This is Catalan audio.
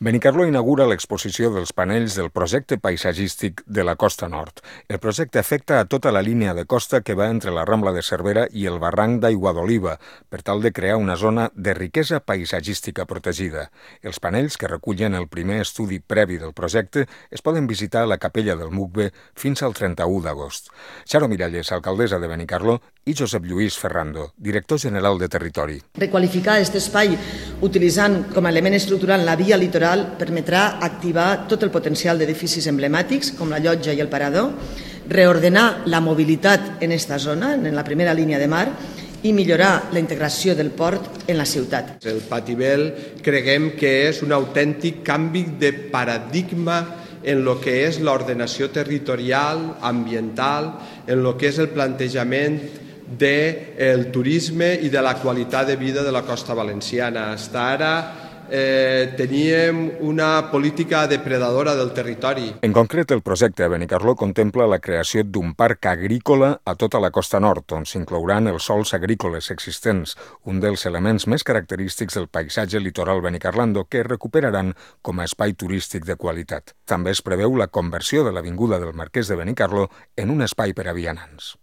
Benicarló inaugura l'exposició dels panells del projecte paisatgístic de la Costa Nord. El projecte afecta a tota la línia de costa que va entre la Rambla de Cervera i el barranc d'Aigua d'Oliva, per tal de crear una zona de riquesa paisatgística protegida. Els panells, que recullen el primer estudi previ del projecte, es poden visitar a la capella del Mucbe fins al 31 d'agost. Xaro Miralles, alcaldessa de Benicarló, i Josep Lluís Ferrando, director general de Territori. Requalificar aquest espai utilitzant com a element estructural la via litoral permetrà activar tot el potencial d'edificis emblemàtics com la llotja i el parador, reordenar la mobilitat en aquesta zona, en la primera línia de mar, i millorar la integració del port en la ciutat. El Patibel creguem que és un autèntic canvi de paradigma en lo que és l'ordenació territorial, ambiental, en lo que és el plantejament del turisme i de la qualitat de vida de la costa valenciana. Fins ara teníem una política depredadora del territori. En concret, el projecte a Benicarló contempla la creació d'un parc agrícola a tota la costa nord, on s'inclouran els sols agrícoles existents, un dels elements més característics del paisatge litoral benicarlando que es recuperaran com a espai turístic de qualitat. També es preveu la conversió de l'avinguda del Marquès de Benicarló en un espai per a vianants.